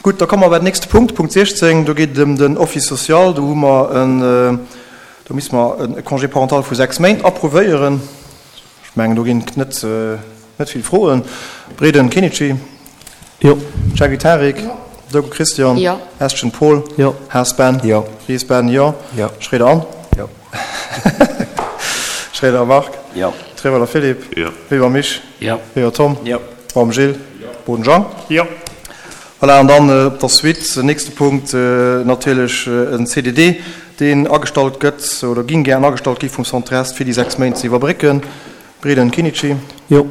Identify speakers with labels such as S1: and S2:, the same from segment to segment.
S1: Gutt, da komme mer bei den nächste Punkt, Punkt 16. Do geet et ëm den Office social. Do hu mer en, do misste mer e Congé parental vu 6 Méint approuvéieren. Ech mengen, do ginn et net, net vill Froen. Breden Kenichi.
S2: Jo.
S1: Jackie Tarik. Jo. Dogo Christian.
S3: Jo.
S1: Hestgen Paul.
S2: Jo.
S1: Haas Ben.
S2: Jo.
S1: Ries Ben, jo.
S2: Jo.
S1: Schroeder Anne.
S2: Jo.
S1: Schroeder Marc.
S2: Jo.
S1: Trewelder Philippe.
S4: Jo.
S1: Weber Mich.
S2: Jo.
S1: Weber Tom.
S2: Jo.
S1: Baum Gilles.
S4: Jo.
S1: Boden Jean.
S4: Jo.
S1: Voilà, an dann op der Suite, nächste Punkt, natierlech en CDD, deen agestallt gëtt oder ging gären agestallt gi vum Centre Est, fir déi 6 Méint ze iwwerbrécken. Breden Kinici.
S2: Jo.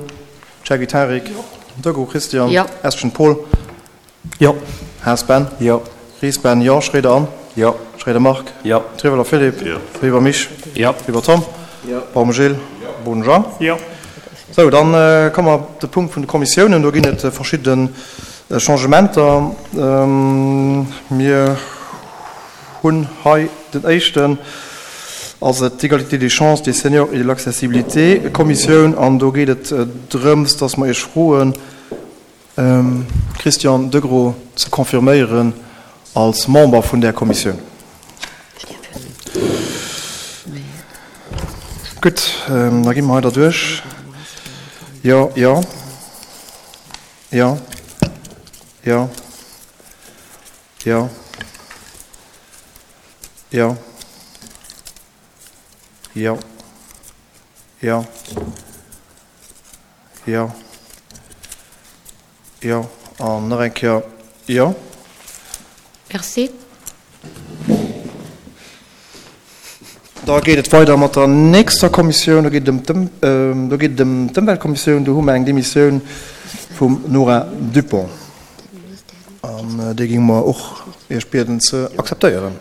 S1: Jackie Tarik.
S3: Jo.
S1: Doggo Christian.
S3: Jo.
S1: Estgen Paul.
S2: Jo.
S1: Haas Ben.
S2: Jo.
S1: Ries Ben, jo. Schroeder Anne.
S2: Jo.
S1: Schroeder Marc.
S2: Jo.
S1: Trewelder Philippe.
S4: Jo.
S1: Weber Mich.
S2: Jo.
S1: Weber Tom.
S2: Jo.
S1: Baum Gilles.
S4: Jo.
S1: Boden Jean.
S4: Jo.
S1: Sou, dann komme mer op de Punkt vun de Kommissiounen. Do ginn et verschidde Changementer. Mir hunn hei den éischten, ass et d'Égalité des chances des seniors et de l'accessibilité Kommissioun. An do geet et drëms, dass mer Iech froen, Christian Degros ze confirméieren als Member vun där Kommissioun. Gutt, da gi mer hei derduerch. Jo, jo, jo, jo, jo, jo, jo, jo. Jo. Jo. An nach eng Kéier jo.
S3: Merci.
S1: Da geet et weider mat der nächster Kommissioun. Do geet et ëm do geet et ëm d'Ëmweltkommissioun. Do hu mer eng Demissioun vum Nora Dupont. An déi géinge mer och Iech bieden ze akzeptéieren.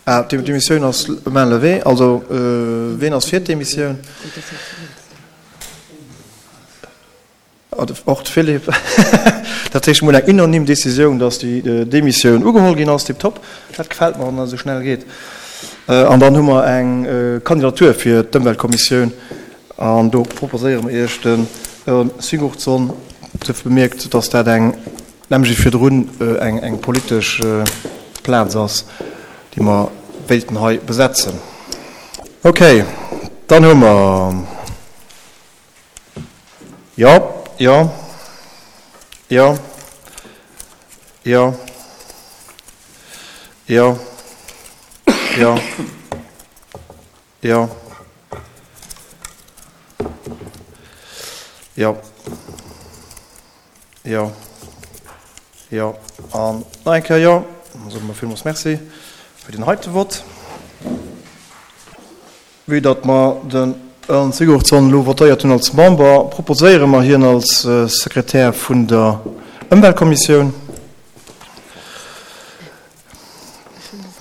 S1: Ah, d'Demissioun ass main levée. Also, ween ass fir d'Demissioun? Och de Philippe. Dat heescht, mir hunn eng unanime Décisioun, dass déi Demissioun ugeholl ginn ass. Tiptop. Dat gefält mer, wann dat esou schnell geet. An dann hu mer eng Kandidatur fir d'Ëmweltkommissioun. An do proposéiere mer Iech den Erwin Sigurdsson. Sief bemierkt, dass dat eng Nämlech virdrun eng politesch Plaz ass, déi mer wéilten hei besetzen. Okay, dann hu mer, jo, jo, jo, jo, jo, jo, Jo. Jo. Jo. Jo. An nach eng Kéier jo. Da soe mer villmools Merci fir deen heite Vott. Vue datt mer den Ern Sigurdsson elo votéiert hunn als Member, proposéiere mer hien als Sekretär vun der Ëmweltkommissioun.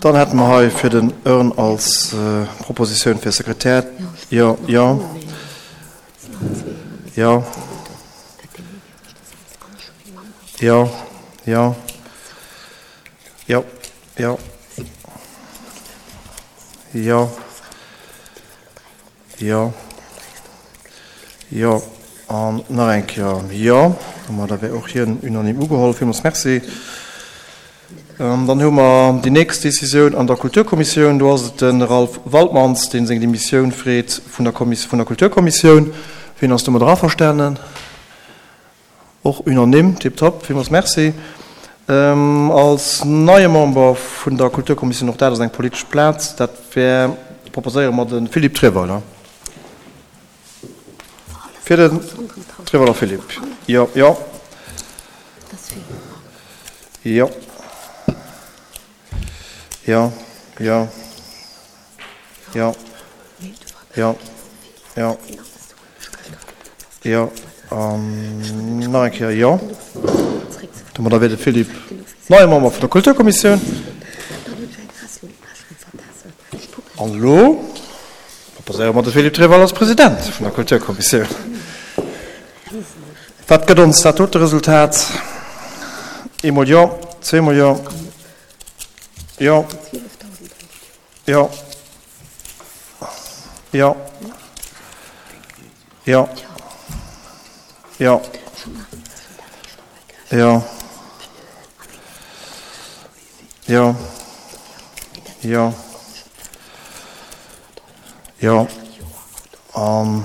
S1: Dann hätte mer hei fir den Ern als Propositioun fir Sekretär, jo, jo, jo, jo, jo, jo, jo, jo. Jo. Jo. An nach eng Kéier jo. Domadder wär och hien unanime ugeholl. Villmools Merci. Dann hu mer déi nächst Décisioun an der Kulturkommissioun. Do ass et de Ralph Waltmans, dee seng Demissioun freet vun der vun der Kulturkommissioun. Wien ass domadder averstanen? Och unanime, tiptop, villmools Merci. Als neie Member vun der Kulturkommissioun, och dat ass eng politesch Plaz, dat wär, proposéiere mer de Philippe Treweiler. Fir den Treweiler Philippe, jo, jo, jo, jo, jo. Jo. Jo. Jo. Jo. An nach eng Kéier jo. Domadder wier de Philippe neie Member vun der Kulturkommissioun. An elo proposéiere mer de Philippe Treval als President vun der Kulturkommissioun. Wat gëtt ons dat dote Resultat? Eemol jo, zweemol jo. Jo. Jo. Jo. Jo. Jo. Jo. Jo. Jo. Jo. An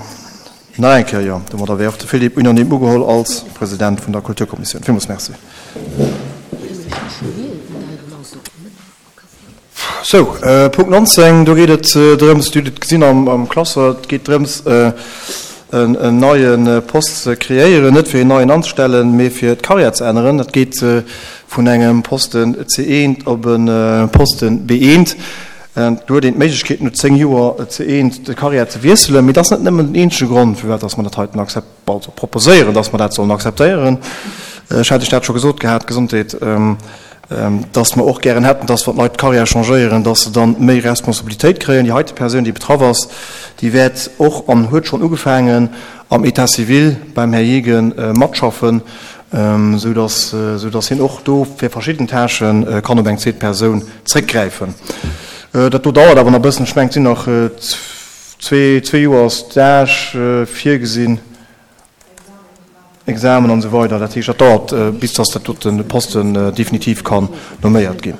S1: nach eng Kéier jo. Domadder wär och de Philippe unanime ugeholl als President vun der Kulturkommissioun. Villmools Merci. Sou, Punkt 19, do geet et drëms, Dir hutt et gesinn am Classeur, et geet drëms, en neie Poste ze kreéieren, net fir een neien anzestellen, mee fir d'Carrière ze änneren. Dat geet vun engem Posten C1 op e Posten B1. Do huet een d'Méiglechkeet, no 10 Joer C1 de Carrière ze wiesselen. Mee dat ass net nëmmen den eenzege Grond, firwat dass mer dat heiten also proposéieren, dass mer dat sollen akzeptéieren. Ech hat Iech dat scho gesot gehat, Gesondheet. dass mer och gären hätten, dass wann d'Leit d'Carrière changéieren, dass se dann méi Responsabilitéit kréien. Déi heite Persoun, déi betraff ass, déi wäert och an huet schonn ugefaangen am État civil beim Här Jegen matschaffen, esou dass, esou dass hien och do fir verschidden Tâchë kann op eng zweet Persoun zréckgräifen. Dat do dauert awer nach e bëssen. Ech mengen, et sinn nach zwee, zwee Joer Stage virgesinn. Examen an esou weider. Dat heescht, dat dauert, bis dass dat dote Posten definitiv kann nomméiert ginn.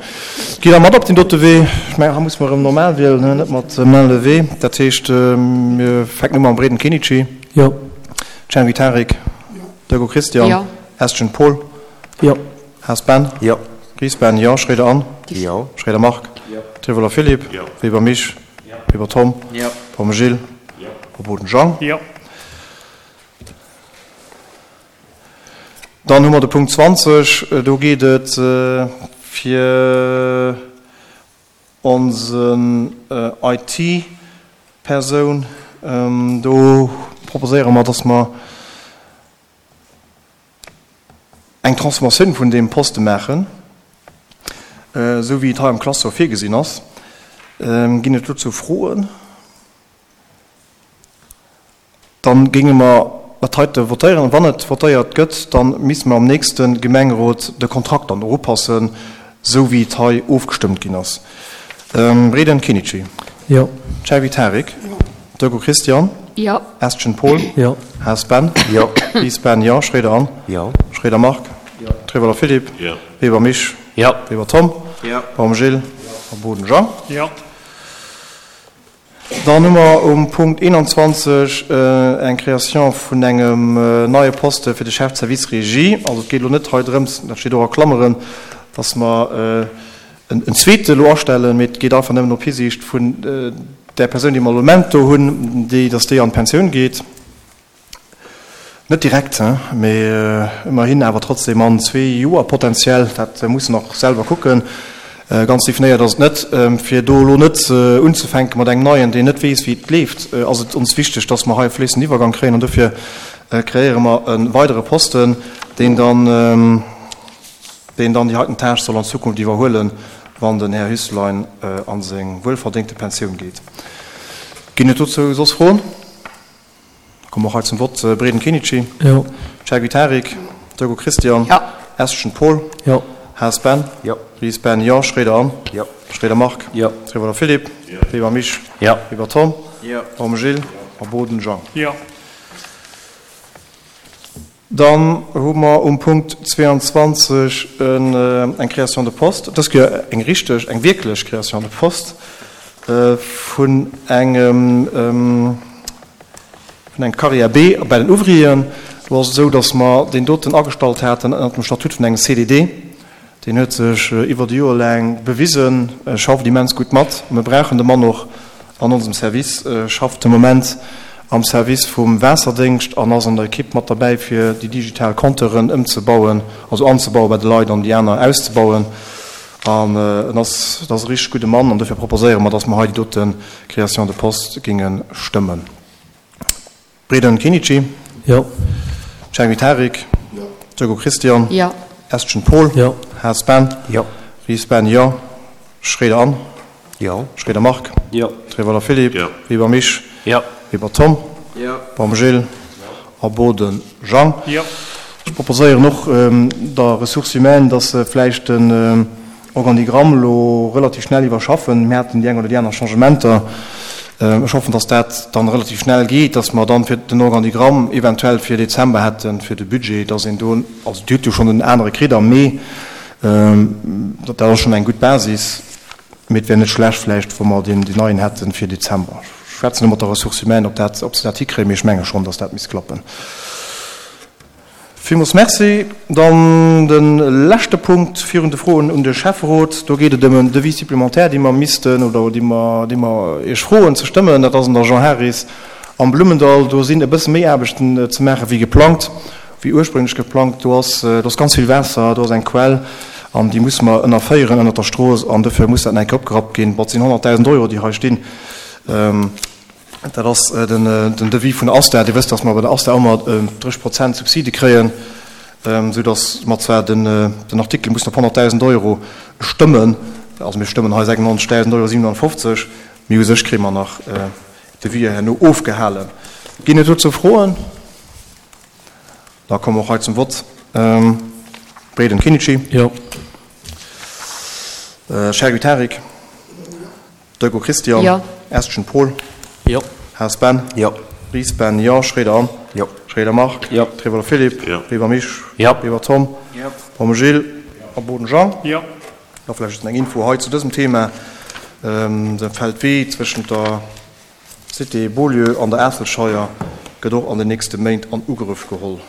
S1: Gitt Der mat op deen dote Wee? Ech mengen, hei musse mer erëm normal wielen, net mat Main levée. Dat heescht, mir fänken u mam Breden Kenichi.
S2: Jo.
S1: Cengi Tarik.
S2: Jo.
S1: Dögo Christian.
S3: Jo.
S1: Estgen Paul.
S2: Jo.
S1: Haas Ben.
S4: Jo.
S1: Ries Ben, jo. Schroeder Anne.
S4: Jo.
S1: Schroeder Marc.
S4: Jo.
S1: Trivola Philippe.
S4: Jo.
S1: Weber Misch.
S4: Jo.
S1: Weber Tom.
S4: Jo.
S1: Baum Gilles.
S4: Jo.
S1: A Boden Jean.
S2: Jo.
S1: Dann hu mer de Punkt 20, do geet et fir onsen IT-Persoun. Do proposéiere mer, dass mer eng Transformatioun vun deem Poste maachen, esou wéi et hei am Classeur virgesinn ass. Ginn et dozou Froen? Dann géinge mer dat heite votéieren. Wann et votéiert gëtt, da misste mer am nächste Gemengerot de Kontrakt dann och upassen, esou wéi et hei ofgestëmmt ginn ass. Breden Kinici.
S2: Jo.
S1: Chervi Tarik.
S3: Jo.
S1: Dögo Christian.
S3: Jo.
S1: Estgen Paul.
S2: Jo.
S1: Haas Ben.
S4: Jo.
S1: Ries Ben, jo. Schroeder Anne.
S4: Jo.
S1: Schroeder Marc.
S4: Jo.
S1: Trevoller Philippe.
S4: Jo.
S1: Weber Misch.
S4: Jo.
S1: Weber Tom.
S4: Jo.
S1: Baum Gilles.
S4: Jo.
S1: A Boden Jean.
S2: Jo.
S1: Dann hu mer um Punkt 21 eng Création vun engem neie Poste fir de Chef de service Régie. Also et geet elo net hei drëms, dat steet och a Klammeren, dass mer en zweete elo astellen, mee et geet einfach nëmmen op Hisiicht vun där Persoun, déi mer elo Moment do hunn, déi, dass déi an d'Pensioun geet. Net direkt, mee ëmmerhin awer trotzdem an zwee Joer potenziell. Dat muss en och selwer kucken. Ganz definéiert ass et net. Fir do elo net unzefänke mat engem Neien, deen net weess, wéi et leeft, ass et ons wichteg, dass mer hei e fléissenden Iwwergang kréien. An dofir kreéiere mer e weidere Posten, deen dann, deen dann déi heiten Tâche soll an Zukunft iwwerhuelen, wann den Här Hüsslein a seng wuelverdéngte Pensioun geet. Ginn et dozou soss Froen? Komme och hei zum Vott. Breden Kenichi.
S2: Jo.
S1: Chergui Tarik. Dögo Christian.
S3: Jo.
S1: Estgen Paul.
S2: Jo.
S1: Haas Ben.
S4: Jo.
S1: Ries Ben, jo. Schroeder Anne.
S4: Jo.
S1: Schroeder Marc.
S4: Jo.
S1: Trevoller Philippe.
S4: Jo.
S1: Weber Misch.
S4: Jo.
S1: Weber Tom.
S4: Jo.
S1: Baum Gilles. A Boden Jean.
S2: Jo.
S1: Dann hu mer um Punkt 22 eng Création de poste, dës Kéier eng richteg, eng wierklech Création de poste vun engem, vun engem Carrière B bei den Ouvrieren. Do ass et esou, datt mer deen doten agestallt haten ënnert dem Statut vun engem CDD. Deen huet sech iwwer de Joer laang bewisen, schafft immens gutt mat. Mir brauchen de Mann och an onsem Service, schafft de Moment am Service vum Waasserdéngscht an ass an der Ekipp mat derbäi fir déi digital Compteuren ëmzebauen, also anzebauen bei de Leit an déi aner auszebauen. An en ass, et ass e richteg gudde Mann an dofir proposéiere mer, dass mer hei déi dote Création de poste géinge stëmmen. Breden Kenichi.
S2: Jo.
S1: Cengi Tarik.
S4: Jo.
S1: Dögo Christian.
S3: Jo.
S1: Estgen Paul.
S2: Jo.
S1: Haas Ben.
S4: Jo.
S1: Ries Ben, jo. Schroeder Anne.
S4: Jo.
S1: Schroeder Marc.
S4: Jo.
S1: Trevoller Philippe.
S4: Jo.
S1: Weber Misch.
S4: Jo.
S1: Weber Tom.
S4: Jo.
S1: Baum Gilles.
S4: Jo.
S1: A Boden Jean.
S2: Jo.
S1: Ech proposéieren och der Ressources humaines, dass se vläicht den Organigramm elo relativ schnell iwwerschaffen. Mir haten déi eng oder déi aner Changementer. Ech hoffen, dass dat dann relativ schnell geet, dass mer dann fir den Organigramm eventuell fir Dezember hätten, fir de Budget, dass een do, also Dir hutt jo schonn en anere kritt am Mee. Dat ass schonn eng gutt Basis, mee et wär net schlecht vläicht, wa mer deen neien hätte fir Dezember. Ech schwätzen elo mat der Ressources humaines, ob dat, ob se dat hikréien, mee ech menge schonn, datt dat misst klappen. Villmools Merci. Dann de leschte Punkt virun de Froen un de Schäfferot. Do geet et ëm en Devis supplémentaire, dee mer missten oder dee mer, dee mer Iech froen ze stëmmen. Dat ass an der Jean Harris am Blummendall. Do sinn e bësse méi Aarbechten ze maache wéi geplangt, wéi ursprünglech geplangt. Do ass, do ass ganz vill Waasser, do ass eng Quell an déi musse mer ënnerféieren ënnert der Strooss an dofir muss dat nach eng Kéier opgerappt ginn. Bon, et sinn 100.000 Euro, déi hei stinn. Dat ass den Devis vun der ASTA. Dir wësst, dass mer bei der ASTA ëmmer 30 Prozent Subside kréien, esou dass mer zwar den Artikel mussen op 100.000 Euro stëmmen, also mir stëmmen hei 96.000 Euro 57, mee u sech kréie mer nach Devisë herno ofgehalen. Ginn et dozou Froen? Da komme mer och hei zum Vott. Breden Kinnici.
S2: Jo.
S1: Chergui Tarik. Deugo Christian.
S3: Jo.
S1: Estgen Paul.
S2: Jo.
S1: Haas Ben.
S2: Jo.
S1: Ries Ben, jo. Schroeder Anne.
S2: Jo.
S1: Schroeder Marc.
S2: Jo.
S1: Trevoller Philippe.
S2: Jo.
S1: Weber Misch.
S2: Jo.
S1: Weber Tom.
S2: Jo.
S1: Romme Gilles. A Boden Jean.
S2: Jo.
S1: Da vläicht just eng Info hei zu dësem Thema, De Feldwee zwëschent der Cité Beaulieu an der Aasselscheier gëtt och an den nächste Méint an Ugrëff geholl.